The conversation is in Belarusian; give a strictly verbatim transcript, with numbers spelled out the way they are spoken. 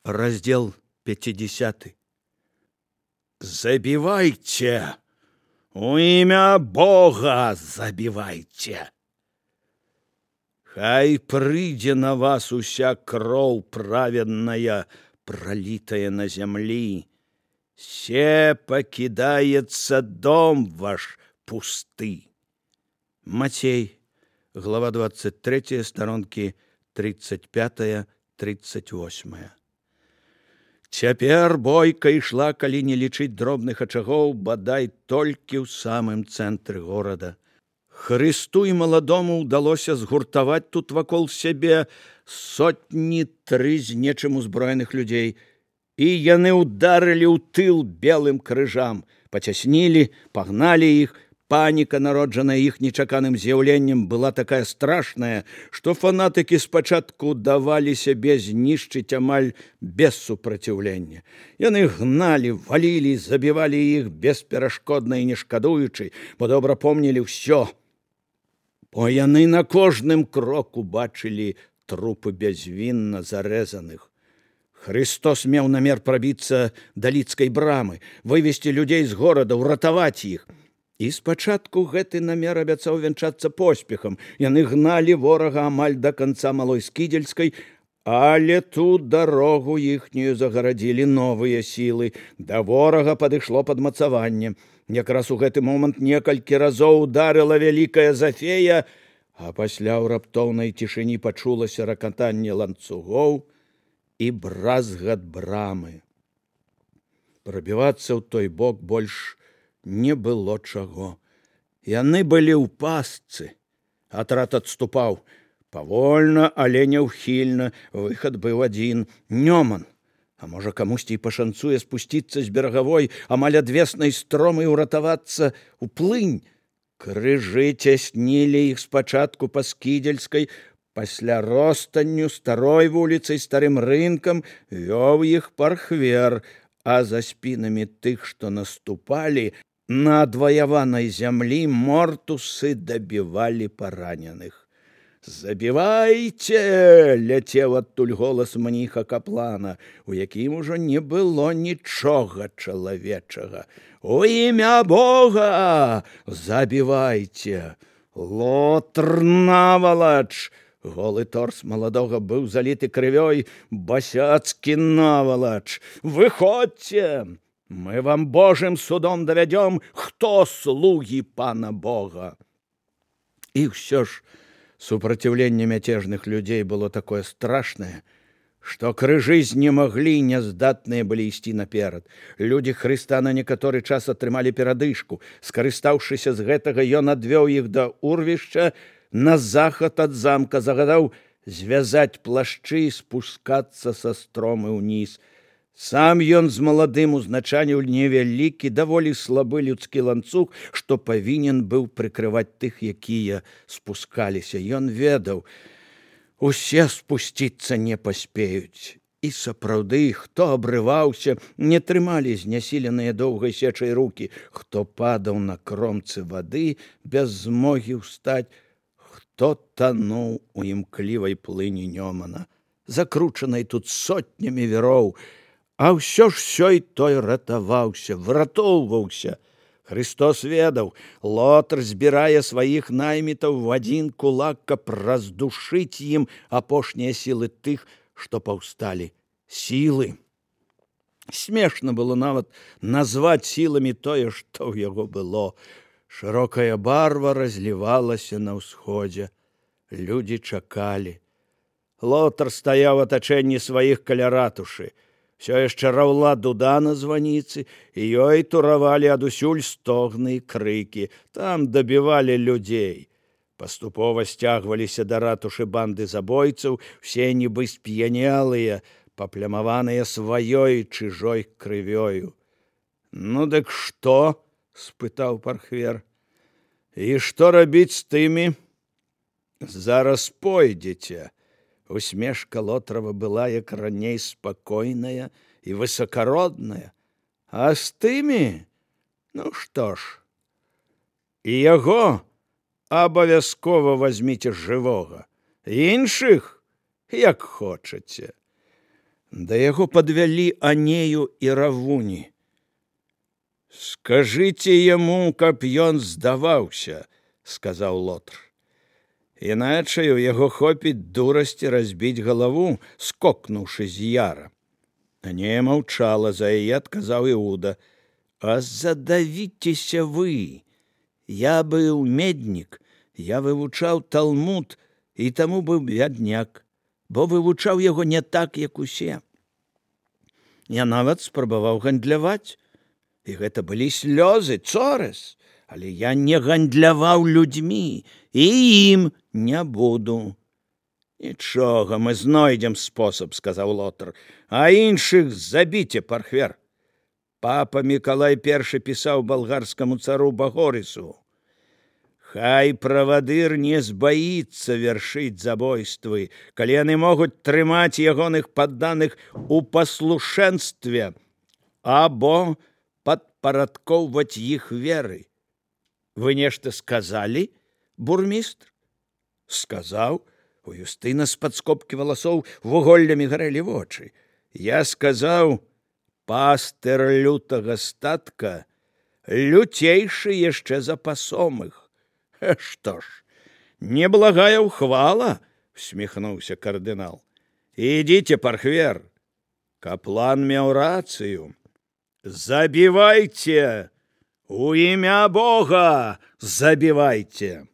Раздел пятидесятый. Забивайте! У имя Бога забивайте! Хай прыйдзе на вас уся кроў праведная, пролитая на земли. Се покидается дом ваш пусты. Матей, глава двадцать третья, сторонки тридцать пятая тридцать восьмая. Цяпер бойка ішла, калі не лічыць дробных ачагоў, бадай толькі ў самым цэнтры горада. Хрысту і маладому ўдалося згуртаваць тут вакол сябе сотні тры з нечым узброеных людзей, і яны ўдарылі ў тыл белым крыжам, пацяснілі, пагналі іх. Паніка, народжаная іх нечаканым з'яўленнем, была такая страшная, што фанатыкі спачатку давалі сябе знішчыць амаль без супраціўлення. Яны гналі, валілі, забівалі іх бесперашкодна і не шкадуючы, бо добра помнілі ўсё. Бо яны на кожным кроку бачылі трупы бязвінна зарэзаных. Христос меў намер прабіцца да лідскай брамы, вывесці людзей з горада, ўратаваць іх. І спачатку гэты намер абяцаў вянчацца поспехам. Яны гналі ворага амаль да канца Малой Скідзельскай, але тут дарогу іхнюю загарадзілі новыя сілы. Да ворага падышло падмацаванне. Якраз у гэты момант некалькі разоў ударыла вялікая зафея, а пасля ў раптоўнай цішыні пачулася ракатанне ланцугоў і бразгат брамы. Прабівацца ў той бок больш не было чаго. Яны былі ў пастцы. Атрад адступаў. Павольна, але няўхільна. Выхад быў адзін. Нёман. А можа, камусьці і пашанцуе спусціцца з берагавой, амаль адвеснай стромы ўратавацца ў плынь. Крыжы цяснілі іх спачатку па Скідзельскай, пасля ростанню, старой вуліцай, старым рынкам вёў іх пархвер, а за спінамі тых, што наступалі, на адваяванай зямлі мортусы дабівалі параненых. «Забівайце!» — ляцеў адтуль голас мніха каплана, у якім ужо не было нічога чалавечага. «У імя Бога забівайце! Лотр навалач!» Голы торс маладога быў заліты крывёй. «Басяцкі навалач! Выходзьце! Мы вам Божым судом давядём, хто слугі пана Бога!» І ўсё ж супраціўленне мяцежных людзей было такое страшнае, што крыжы знемаглі, няздатныя былі ісці наперад. Людзі Хрыста на некаторы час атрымалі перадышку. Скарыстаўшыся з гэтага, ён адвёў іх да урвішча на захад ад замка, загадаў звязаць плашчы і спускацца са стромы ўніз. Сам ён з маладым узначаніў невялікі, даволі слабы людскі ланцуг, што павінен быў прыкрываць тых, якія спускаліся. Ён ведаў, усе спусціцца не паспеюць. І сапраўды, хто абрываўся, не трымалі знясіленыя доўгай сечай рукі, хто падаў на кромцы вады без змогі ўстаць, хто тануў у імклівай плыні Нёмана, закручанай тут сотнямі віроў. А ўсё ж сёй той ратаваўся, выратоўваўся. Христос ведаў, Лотр збірае сваіх наймітаў в адзін кулак, каб раздушыць ім апошнія сілы тых, што паўсталі. Сілы. Смешна было нават назваць сіламі тое, што ў яго было. Шырокая барва разлівалася на ўсходзе. Людзі чакалі. Лотр стаяў у атачэнні сваіх каля ратушы. Всё яшчэ раўла дуда на званіцы, і ёй туравалі адусюль стогны і крыкі. Там дабівалі людзей. Паступова сцягваліся да ратушы банды забойцаў, усе нібы сп'янелыя, паплямаваныя сваёй чужой крывёю. «Ну дык што?» — спытаў пархвер. «І што рабіць з тымі?» «Зараз пойдзеце». Усмешка Лотрава была, як раней, спакойная і высакародная. «А з тымі? Ну што ж, і яго абавязкова вазьміце жывога, іншых як хочаце». Да яго падвялі Анею і Равуні. «Скажыце яму, каб ён здаваўся», – сказаў Лотр. «Іначай у яго хопіць дурасці разбіць галаву, скокнуўшы з яра». Анея маўчала, за яе адказаў Іуда. «А задавіцеся вы! Я быў меднік, я вывучаў Талмуд, і таму быў бядняк, бо вывучаў яго не так, як усе. Я нават спрабаваў гандляваць, і гэта былі слёзы, цораз, але я не гандляваў людзьмі, і ім не буду». «Нічога, мы знойдзем спосаб», – сказаў Лотр, – «а іншых забіце, пархвер». Папа Мікалай першы пісаў балгарскаму цару Багорысу: «Хай правадыр не збаіцца вяршыць забойствы, калі яны могуць трымаць ягоных падданых у паслушэнстве або падпарадкоўваць іх веры». «Вы нешта сказалі, бурмістр?» «Сказаў». У Юстына з-пад скобкі валасоў вуголлямі гарэлі вочы. «Я сказаў, пастыр лютага статка люцейшы яшчэ за пасомых». «Што ж, неблагая ўхвала», – усміхнуўся кардынал. «Ідзіце, пархвер». Каплан меў рацыю. «Забівайце! У імя Бога забівайце!»